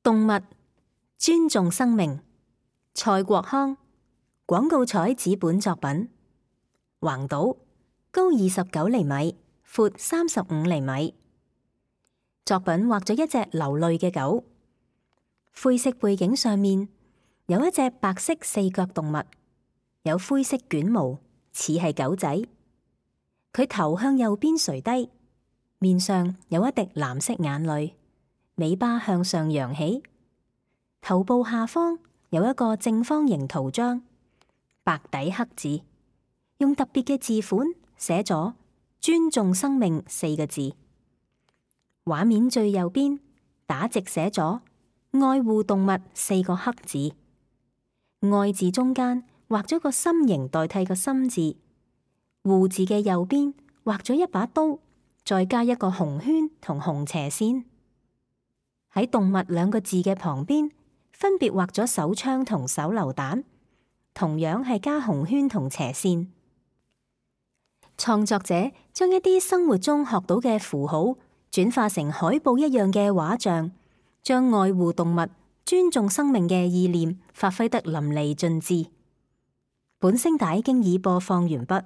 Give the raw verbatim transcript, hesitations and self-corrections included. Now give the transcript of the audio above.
動物，尊重生命。蔡國康，廣告彩紙本作品。橫島，高二十九厘米，闊三十五厘米。作品畫咗一隻流淚嘅狗，灰色背景上面有一隻白色四腳動物，有灰色捲毛，似係狗仔。佢頭向右邊垂低，面上有一滴藍色眼淚，尾巴向上揚起，頭部下方有一個正方形圖章，白底黑字，用特別嘅字款寫咗尊重生命四個字。畫面最右邊打直寫咗愛護動物四個黑字，愛字中間畫咗個心形代替個心字，護字嘅右邊畫咗一把刀，再加一個紅圈同紅斜線。喺動物兩個字嘅旁邊分別畫咗手槍同手榴彈，同樣係加紅圈同斜線。創作者將一啲生活中學到嘅符號轉化成海報一樣嘅畫像，將愛護動物、尊重生命嘅意念發揮得淋漓盡致。本聲帶經已播放完畢。